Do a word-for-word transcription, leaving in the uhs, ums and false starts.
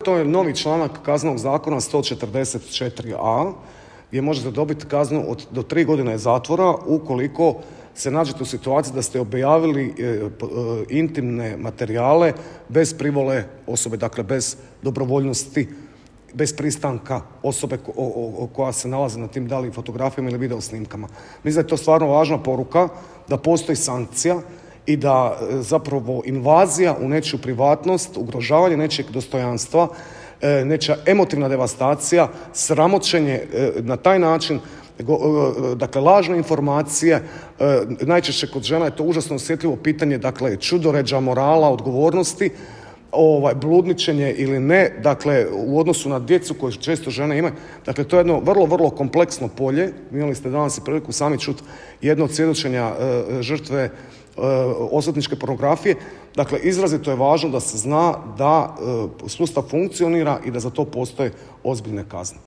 to je novi članak Kaznenog zakona sto četrdeset četiri a gdje možete dobiti kaznu od, do tri godine zatvora ukoliko se nađete u situaciji da ste objavili e, e, intimne materijale bez privole osobe, dakle bez dobrovoljnosti, bez pristanka osobe ko, o, o, koja se nalazi na tim da li fotografijama ili video snimkama. Mislim da je to stvarno važna poruka, da postoji sankcija i da e, zapravo invazija u nečiju privatnost, ugrožavanje nečijeg dostojanstva, e, nečija emotivna devastacija, sramoćenje e, na taj način, dakle lažne informacije, najčešće kod žena je to užasno osjetljivo pitanje, dakle čudoređa morala, odgovornosti, ovaj, bludničenje ili ne, dakle u odnosu na djecu koje često žene imaju. Dakle, to je jedno vrlo, vrlo kompleksno polje. Imali ste danas i priliku sami čuti jedno od svjedočenja e, žrtve e, osvetničke pornografije. Dakle, izrazito je važno da se zna da e, sustav funkcionira i da za to postoje ozbiljne kazne.